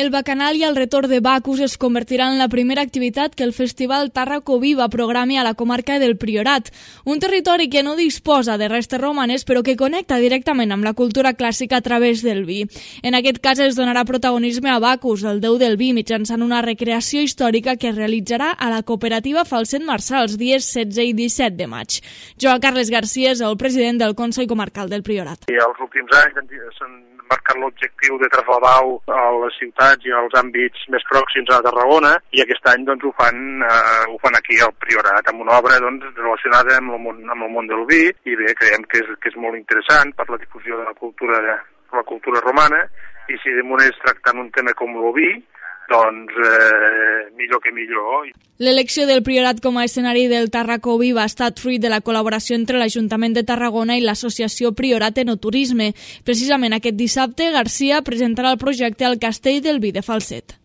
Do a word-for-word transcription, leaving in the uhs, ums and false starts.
El bacanal i el retorn de Bacus es convertiran en la primera activitat que el Festival Tàrraco Viva programi a la comarca del Priorat, un territori que no disposa de restes romanes però que connecta directament amb la cultura clàssica a través del vi. En aquest cas es donarà protagonisme a Bacus, el déu del vi, mitjançant una recreació històrica que es realitzarà a la cooperativa Falset Marçà els dies setze i disset de maig. Joan Carles Garcia és el president del Consell Comarcal del Priorat. I els últims anys s'han marcat l'objectiu de traslladar-ho a les ciutats i als àmbits més pròxims a Tarragona, i aquest any doncs, ho, fan, eh, ho fan aquí al Priorat, amb una obra doncs, relacionada amb el, món, amb el món del vi, i bé, creiem que és, que és molt interessant per la difusió de la cultura, de la cultura romana, i si de moment és tractant un tema com el vi, doncs eh, millor que millor. L'elecció del Priorat com a escenari del Tàrraco Viva ha estat fruit de la col·laboració entre l'Ajuntament de Tarragona i l'associació Priorat Enoturisme. Precisament aquest dissabte, Garcia presentarà el projecte al Castell del Vi de Falset.